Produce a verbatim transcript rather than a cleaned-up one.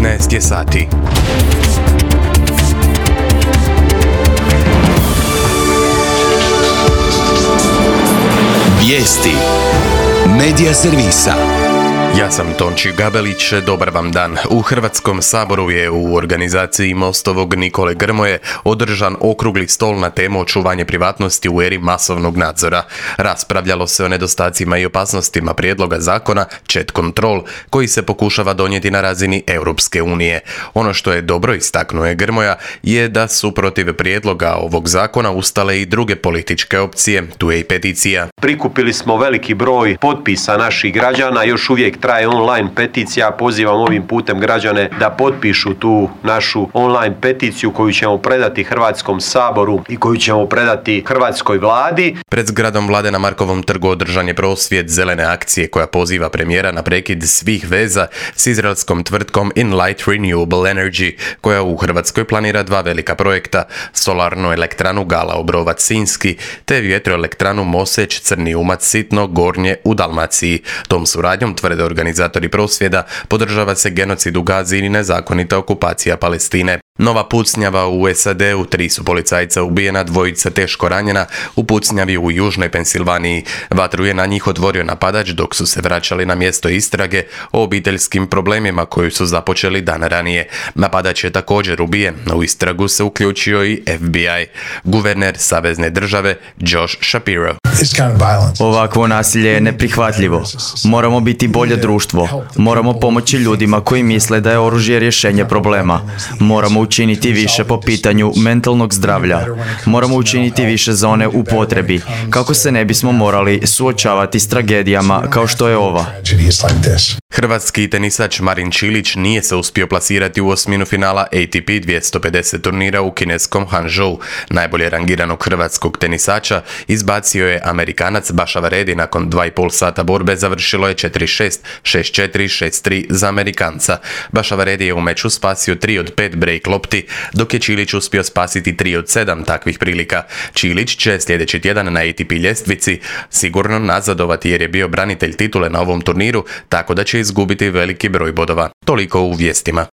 petnaest je sati. Vijesti Medija servisa. Ja sam Tonči Gabelić, dobar vam dan. U Hrvatskom saboru je u organizaciji Mostovog Nikole Grmoje održan okrugli stol na temu očuvanje privatnosti u eri masovnog nadzora. Raspravljalo se o nedostacima i opasnostima prijedloga zakona Chat Control, koji se pokušava donijeti na razini Europske unije. Ono što je dobro, istaknuo je Grmoja, je da su protiv prijedloga ovog zakona ustale i druge političke opcije, tu je i peticija. Prikupili smo veliki broj potpisa naših građana, još uvijek traje online peticija. Pozivam ovim putem građane da potpišu tu našu online peticiju koju ćemo predati Hrvatskom saboru i koju ćemo predati hrvatskoj vladi. Pred zgradom vlade na Markovom trgu održan je prosvjed zelene akcije koja poziva premijera na prekid svih veza s izraelskom tvrtkom Enlight Renewable Energy, koja u Hrvatskoj planira dva velika projekta, solarnu elektranu Gala Obrovac Sinjski te vjetroelektranu Moseć Crni Umac Sitno Gornje u Dalmaciji. Tom suradnjom, tvrde organizatori prosvjeda, podržava se genocid u Gazi i nezakonita okupacija Palestine. Nova pucnjava u S A D-u, tri su policajca ubijena, dvojica teško ranjena u pucnjavi u Južnoj Pensilvaniji. Vatru je na njih otvorio napadač dok su se vraćali na mjesto istrage o obiteljskim problemima koju su započeli dan ranije. Napadač je također ubijen, u istragu se uključio i F B I. Guverner savezne države Josh Shapiro. Ovakvo nasilje je neprihvatljivo. Moramo biti bolje društvo. Moramo pomoći ljudima koji misle da je oružje rješenje problema. Moramo učiniti više po pitanju mentalnog zdravlja. Moramo učiniti više za one u potrebi, kako se ne bismo morali suočavati s tragedijama kao što je ova. Hrvatski tenisač Marin Čilić nije se uspio plasirati u osminu finala A T P dvjesto pedeset turnira u kineskom Hangzhou. Najbolje rangiranog hrvatskog tenisača izbacio je Amerikanac Bašavaredi. Nakon dva i pol sata borbe završilo je četiri šest, šest četiri, šest tri za Amerikanca. Bašavaredi je u meču spasio tri od pet break lopti, dok je Čilić uspio spasiti tri od sedam takvih prilika. Čilić će sljedeći tjedan na A T P ljestvici sigurno nazadovati jer je bio branitelj titule na ovom turniru, tako da će izgubiti veliki broj bodova. Toliko u vijestima.